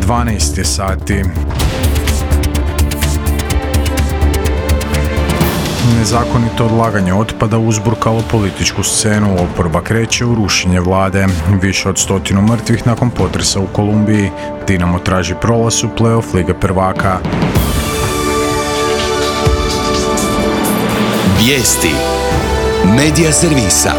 12 je sati. Nezakonito odlaganje otpada uzburkalo političku scenu, oporba kreće u rušenje vlade. Više od 100 mrtvih nakon potresa u Kolumbiji. Dinamo traži prolaz u play-off Lige prvaka. Vijesti Medija servisa.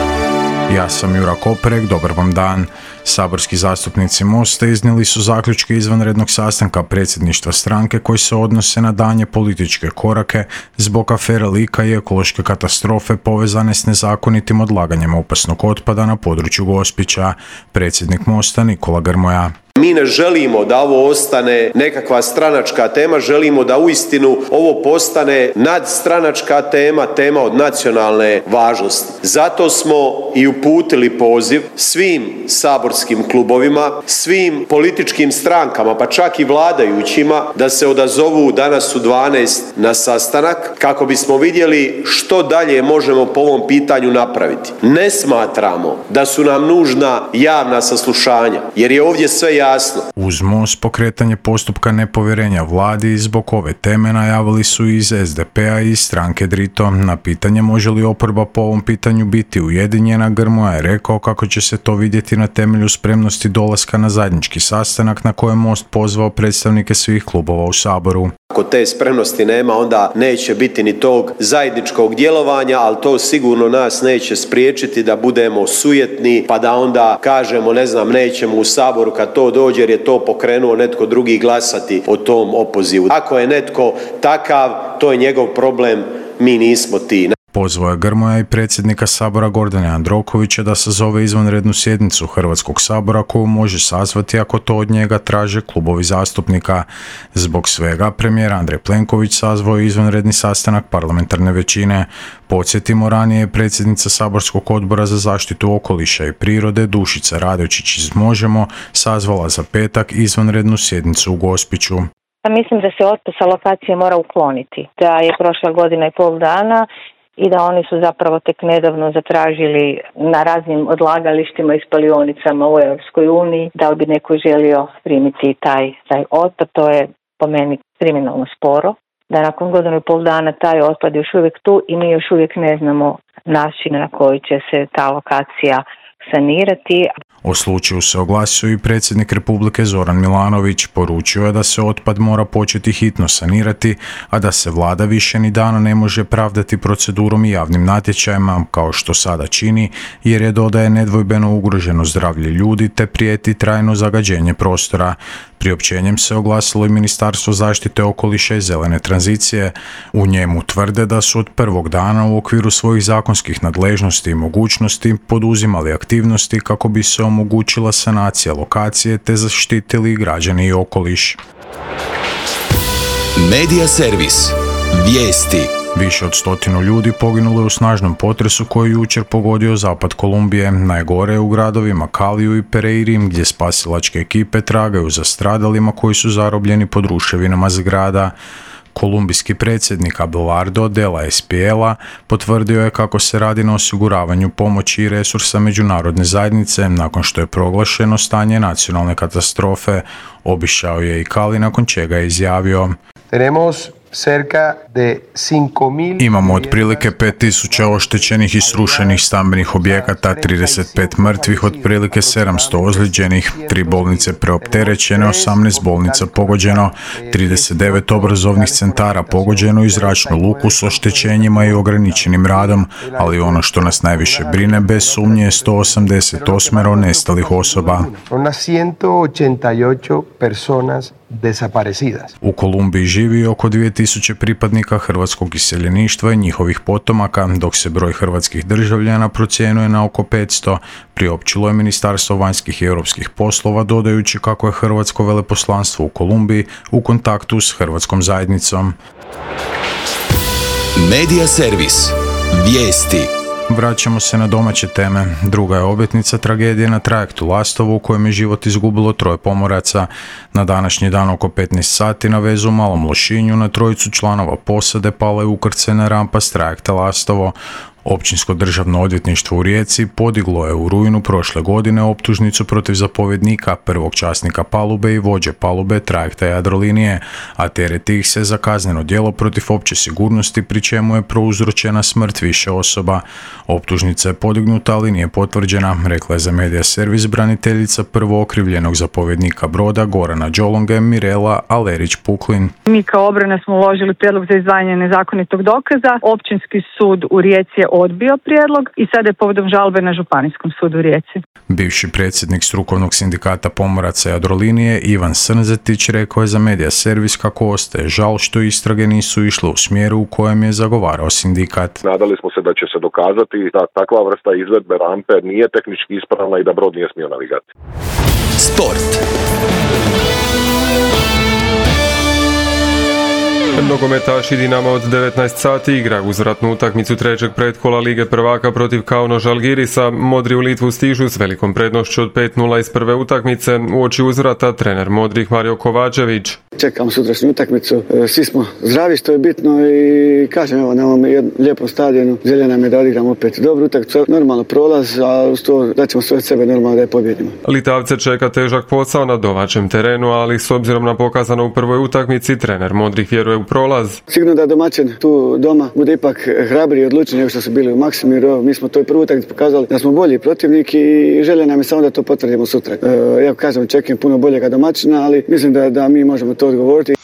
Ja sam Jura Koperek, dobar vam dan. Saborski zastupnici Mosta iznijeli su zaključke izvanrednog sastanka predsjedništva stranke koji se odnose na daljnje političke korake zbog afere Lika i ekološke katastrofe povezane s nezakonitim odlaganjem opasnog otpada na području Gospića. Predsjednik Mosta Nikola Grmoja. Mi ne želimo da ovo ostane nekakva stranačka tema, želimo da uistinu ovo postane nadstranačka tema, tema od nacionalne važnosti. Zato smo i uputili poziv svim saborskim klubovima, svim političkim strankama, pa čak i vladajućima, da se odazovu danas u 12 na sastanak kako bismo vidjeli što dalje možemo po ovom pitanju napraviti. Ne smatramo da su nam nužna javna saslušanja, jer je ovdje sve jasno. Uz Most pokretanje postupka nepovjerenja vladi zbog ove teme najavili su iz SDP-a i stranke Drito. Na pitanje može li oporba po ovom pitanju biti ujedinjena, Grmoja je rekao kako će se to vidjeti na temelju spremnosti dolaska na zajednički sastanak na kojem Most pozvao predstavnike svih klubova u Saboru. Ako te spremnosti nema, onda neće biti ni tog zajedničkog djelovanja, ali to sigurno nas neće spriječiti da budemo sujetni, pa da onda kažemo, nećemo u Saboru kad to dođe jer je to pokrenuo netko drugi glasati o tom opozivu. Ako je netko takav, to je njegov problem, mi nismo ti. Pozvao je Grmoja i predsjednika Sabora Gordana Jandrokovića da sazove izvanrednu sjednicu Hrvatskog sabora koju može sazvati ako to od njega traže klubovi zastupnika. Zbog svega premijer Andrej Plenković sazvao je izvanredni sastanak parlamentarne većine. Podsjetimo, ranije je predsjednica Saborskog odbora za zaštitu okoliša i prirode Dušica Radojčić iz Možemo sazvala za petak izvanrednu sjednicu u Gospiću. Mislim da se otpad sa lokacije mora ukloniti. Da je prošla godina i pol dana i da oni su zapravo tek nedavno zatražili na raznim odlagalištima i spalionicama u Europskoj uniji da li bi neko želio primiti taj otpad. To je po meni kriminalno sporo. Da nakon godinu i pol dana taj otpad je još uvijek tu i mi još uvijek ne znamo način na koji će se ta lokacija sanirati. O slučaju se oglasio i predsjednik Republike Zoran Milanović. Poručio je da se otpad mora početi hitno sanirati, a da se vlada više ni dana ne može pravdati procedurom i javnim natječajima, kao što sada čini, jer je, dodaje, nedvojbeno ugroženo zdravlje ljudi te prijeti trajno zagađenje prostora. Priopćenjem se oglasilo i Ministarstvo zaštite okoliša i zelene tranzicije. U njemu tvrde da su od prvog dana u okviru svojih zakonskih nadležnosti i mogućnosti poduzimali aktivnosti kako bi se omogućila sanacija lokacije te zaštitili građani i okoliš. Medija servis. Vijesti. Više od 100 ljudi poginulo je u snažnom potresu koji je jučer pogodio zapad Kolumbije. Najgore je u gradovima Kaliju i Pereiri, gdje spasilačke ekipe tragaju za stradalima koji su zarobljeni pod ruševinama zgrada. Kolumbijski predsjednik Abelardo de la Espriella potvrdio je kako se radi na osiguravanju pomoći i resursa međunarodne zajednice nakon što je proglašeno stanje nacionalne katastrofe. Obišao je i Cali, nakon čega je izjavio: Imamo otprilike 5000 oštećenih i srušenih stambenih objekata, 35 mrtvih, otprilike 700 ozlijeđenih, 3 bolnice preopterećene, 18 bolnica pogođeno, 39 obrazovnih centara pogođeno i zračnu luku s oštećenjima i ograničenim radom, ali ono što nas najviše brine bez sumnje je 188 nestalih osoba. U Kolumbiji živi oko 2000 pripadnika hrvatskog iseljeništva i njihovih potomaka, dok se broj hrvatskih državljana procjenjuje na oko 500, priopćilo je Ministarstvo vanjskih i europskih poslova, dodajući kako je hrvatsko veleposlanstvo u Kolumbiji u kontaktu s hrvatskom zajednicom. Medija servis. Vijesti. Vraćamo se na domaće teme. Druga je obljetnica tragedije na trajektu Lastovo u kojem je život izgubilo 3 pomoraca. Na današnji dan oko 15 sati na vezu u Malom Lošinju na 3 članova posade pala je ukrcajna rampa s trajekta Lastovo. Općinsko državno odvjetništvo u Rijeci podiglo je u rujnu prošle godine optužnicu protiv zapovjednika, prvog časnika palube i vođe palube trajekta Jadrolinije, a tereti ih se za kazneno djelo protiv opće sigurnosti, pri čemu je prouzročena smrt više osoba. Optužnica je podignuta, ali nije potvrđena, rekla je za Medija servis braniteljica prvo okrivljenog zapovjednika broda Gorana Đolonge Mirela Alerić-Puklin. Mi kao obrana smo uložili prijedlog za izdvajanje nezakonitog dokaza. Općinski sud u Rijeci je odbio prijedlog i sada je povodom žalbe na Županijskom sudu u Rijeci. Bivši predsjednik strukovnog sindikata pomoraca Jadrolinije Ivan Srnzetić rekao je za Medija servis kako ostaje žal što istrage nisu išle u smjeru u kojem je zagovarao sindikat. Nadali smo se da će se dokazati da takva vrsta izvedbe rampe nije tehnički ispravna i da brod nije smio navigati. Sport. Nogometaši Dinama od 19 sati igra uzvratnu utakmicu trećeg pretkola Lige prvaka protiv Kauno Žalgirisa. Modri u Litvu stižu s velikom prednošću od 5:0 iz prve utakmice. Uoči uzvrata trener modrih Mario Kovačević. Čekamo sutrašnju utakmicu, svi smo zdravi što je bitno i kažem evo na ovom lijepom stadionu želja nam je da odigramo opet dobru utakmicu, normalno prolaz, a uz to da ćemo sve od sebe normalno da je pobjedimo. Litavce čeka težak posao na domaćem terenu, ali s obzirom na pokazano u prvoj utakmici trener modrih vjeruje u prolaz. Sigurno da domaćin tu doma bude ipak hrabriji i odlučniji nego što su bili u Maksimiru. Mi smo to i prvu utakmicu pokazali da smo bolji protivnik i želja nam je samo da to potvrdimo sutra. Ja kažem, čekam puno boljega domaćina, ali mislim da mi možemo to odgovoriti.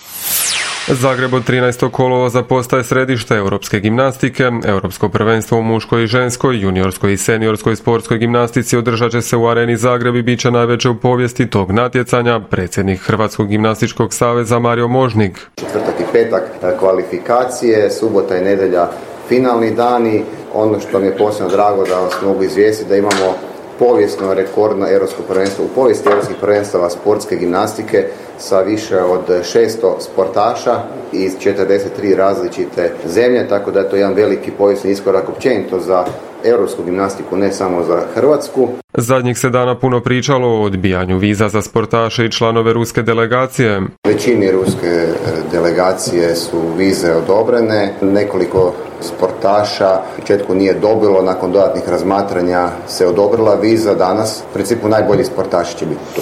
Zagreb od 13. kolovoza postaje središte europske gimnastike. Europsko prvenstvo u muškoj i ženskoj, juniorskoj i seniorskoj sportskoj gimnastici održat će se u Areni Zagreb i bit će najveće u povijesti tog natjecanja. Predsjednik Hrvatskog gimnastičkog saveza Mario Možnik. Četvrtak i petak kvalifikacije, subota i nedjelja finalni dani. Ono što mi je posebno drago da vas mogu izvijestiti da imamo povijesno rekordno europsko prvenstvo u povijesti europskih prvenstava sportske gimnastike sa više od 600 sportaša iz 43 različite zemlje, tako da je to jedan veliki povijesni iskorak općenito za europsku gimnastiku, ne samo za Hrvatsku. Zadnjih se dana puno pričalo o odbijanju viza za sportaše i članove ruske delegacije. Većini ruske delegacije su vize odobrene, nekoliko sportaša u početku nije dobilo, nakon dodatnih razmatranja se odobrila viza danas. U principu najbolji sportaši će biti tu.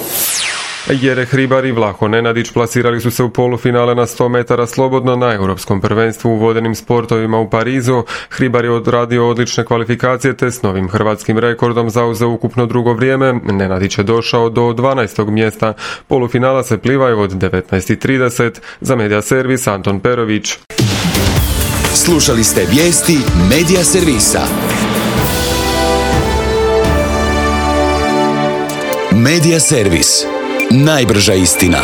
Jere Hribar i Vlaho Nenadić plasirali su se u polufinale na 100 metara slobodno na europskom prvenstvu u vodenim sportovima u Parizu. Hribar je odradio odlične kvalifikacije te s novim hrvatskim rekordom zauzeo ukupno drugo vrijeme. Nenadić je došao do 12. mjesta. Polufinala se plivaju od 19:30. Za Medija servis Anton Perović. Slušali ste vijesti Medija servisa. Medija servis. Najbrža istina.